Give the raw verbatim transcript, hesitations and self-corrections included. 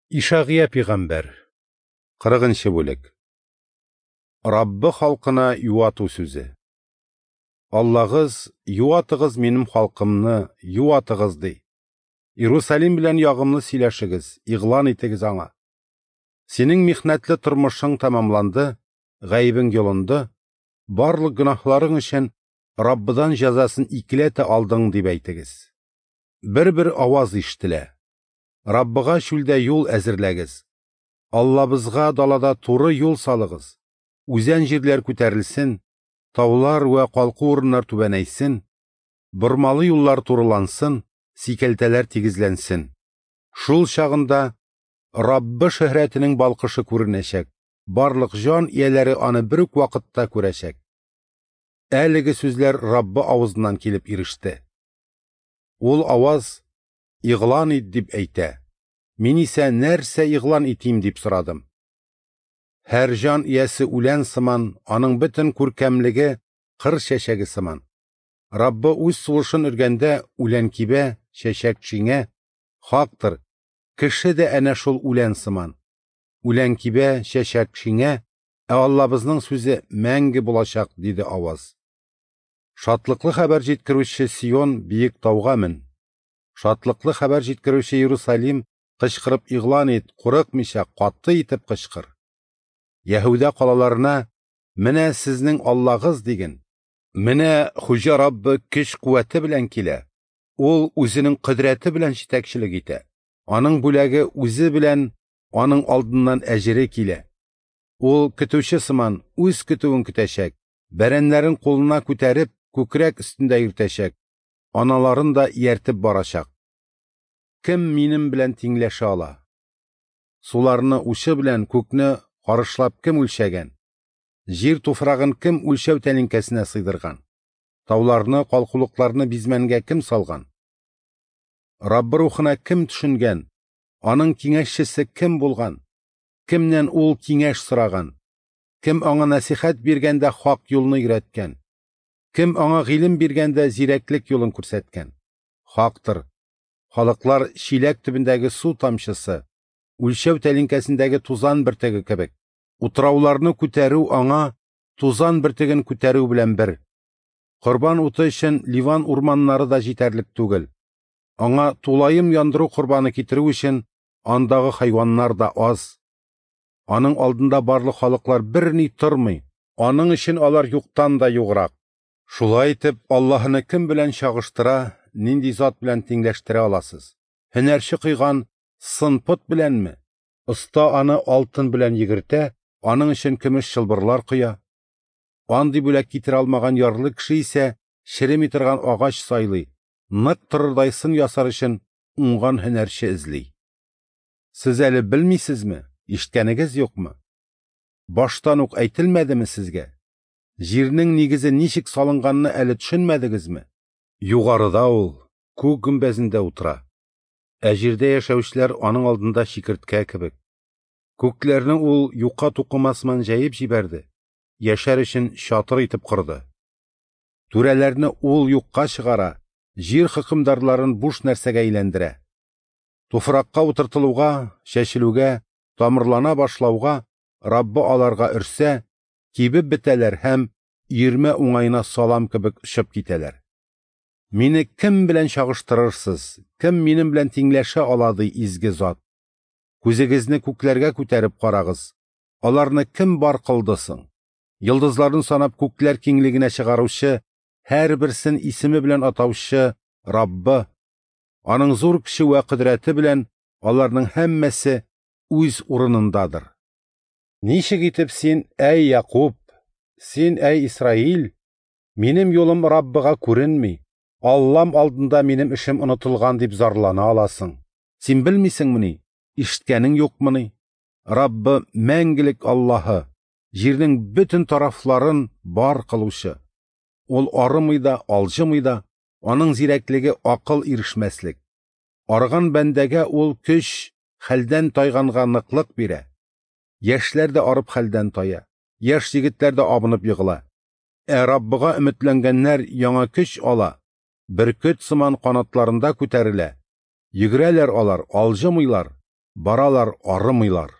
Ишагыя пигамбәр, кырыгынчы бүлек. Раббы халкына юату сүзе. Аллагыз, юатыгыз минем халкымны, юатыгыз, ди. Иерусалим белән ягымлы сөйләшегез, игълан итегез аңа. Синең михнәтле тормышың тәмамланды, гаебең йолынды, барлык гөнаһларың өчен Раббыдан җәзасын икеләтә алдың, дип әйтегез. Бер-бер аваз ишетелә. Раббыга чүлдә юл әзерләгез. Аллабызга далада туры юл салыгыз. Үзән җирләр күтәрелсен, таулар вә калку урыннар түбәнәйсен, бормалы юллар турылансын, сикәлтәләр тигезләнсен. Шул чагында Раббы шөһрәтенең балкышы күренәчәк, барлык җан ияләре аны бер үк вакытта күрәчәк. Әлеге сүзләр Раббы авызыннан килеп иреште. Ул аваз игълан ит дип әйтә. Мин исә нәрсә игълан итим дип сорадым. Һәр җан иясе үлән сыман, аның бөтен күркәмлеге кыр чәчәге сыман. Раббы үз сулышын өргәндә үлән кибә, чәчәк шиңә, хактыр, кеше дә әнә шул үлән сыман. Үлән кибә, чәчәк шиңә, ә Аллабызның сүзе мәңге булачак, диде аваз. Шатлыклы хәбәр җиткерүче Сион биек тауга мен. Шатлыклы хәбәр җиткерүче Иерусалим кычкырып игълан ит, курыкмыйча, каты итеп кычкыр. Яһүдә калаларына менә сезнең Аллагыз диген. Менә Хуҗа Раббы көч куәте белән килә. Ул үзенең кодрәте белән җитәкчелек итә. Аның бүләге үзе белән аның алдыннан әҗере килә. Ул көтүче сыман үз көтүен көтәчәк, бәрәннәрен кулына күтәреп, күкрәк өстендә йөртәчәк, аналарын да ияртеп барачак. Кем минем белән тиңләшә ала? Суларны учы белән күкне карышлап кем үлчәгән? Җир туфрагын кем үлчәү тәлинкәсенә сыйдырган? Тауларны, калкулыкларны бизмәнгә кем салган? Раббы рухына кем төшенгән? Аның киңәшчесе кем булган? Кемнән ул киңәш сораган? Кем аңа нәсихәт биргәндә хак юлны өйрәткән? Кем аңа гыйлем биргәндә зирәклек юлын күрсәткән? Хактыр. Халыклар чиләк төбендәге су тамчысы, үлчәү тәлинкәсендәге тузан бөртеге кебек. Утрауларны күтәрү аңа тузан бөртеген күтәрү белән бер. Корбан уты өчен Ливан урманнары да җитәрлек түгел. Аңа тулаем яндыру корбаны китерү өчен андагы хайваннар да аз. Аның алдында барлык халыклар берни тормый. Аның өчен алар юктан да юграк. Шулай итеп, Аллаһыны кем белән чагыштыра, нинди зат белән тиңләштерә аласыз? Һөнәрче кыйган сын пот беләнме? Оста аны алтын белән йөгертә, аның өчен көмеш чылбырлар коя. Андый бүләк китерә алмаган ярлы кеше исә череми торган агач сайлый, нык торырдай сын ясар өчен уңган һөнәрче эзли. Сез әле белмисезме? Ишеткәнегез юкмы? Баштан ук әйтелмәдеме сезгә? Җирнең нигезе ничек салынганны әле төшенмәдегезме? Югарыда ул, күк гөмбәзендә утыра. Ә җирдә яшәүчеләр аның алдында чикерткә кебек. Күкләрне ул юка тукыма сыман җәеп җибәрде, яшәр өчен чатыр итеп корды. Түрәләрне ул юкка чыгара, җир хөкемдарларын буш нәрсәгә әйләндерә. Туфракка утыртылуга, чәчелүгә, тамырлана башлауга Раббы аларга өрсә, кибеп бетәләр һәм өермә уңаена салам кебек очып китәләр. Мине кем белән чагыштырырсыз? Кем минем белән тиңләшә ала, ди изге зат? Күзегезне күкләргә күтәреп карагыз. Аларны кем бар кылды соң? Йолдызларын санап күкләр киңлегенә чыгаручы, һәрберсен исеме белән атаучы Раббы. Аның зур көче вә кодрәте белән аларның һәммәсе үз урынындадыр. Ничек итеп син, әй Якуб, син, әй Исраил, минем юлым Раббыга күренми, Аллам алдында минем эшем онытылган дип зарлана аласың? Син белмисеңмени? Ишеткәнең юкмыни? Раббы мәңгелек Аллаһы, җирнең бөтен тарафларын бар кылучы. Ул арымый да, алҗымый да, аның зирәклеге акыл ирешмәслек. Арыган бәндәгә ул көч, хәлдән тайганга ныклык бирә. Яшьләр дә арып хәлдән тая, яшь егетләр дә абынып егыла. Ә Раббыга өметләнгәннәр яңа көч ала, бөркет сыман канатларында күтәрелә. Йөгерәләр алар, алҗымыйлар. Баралар, арымыйлар.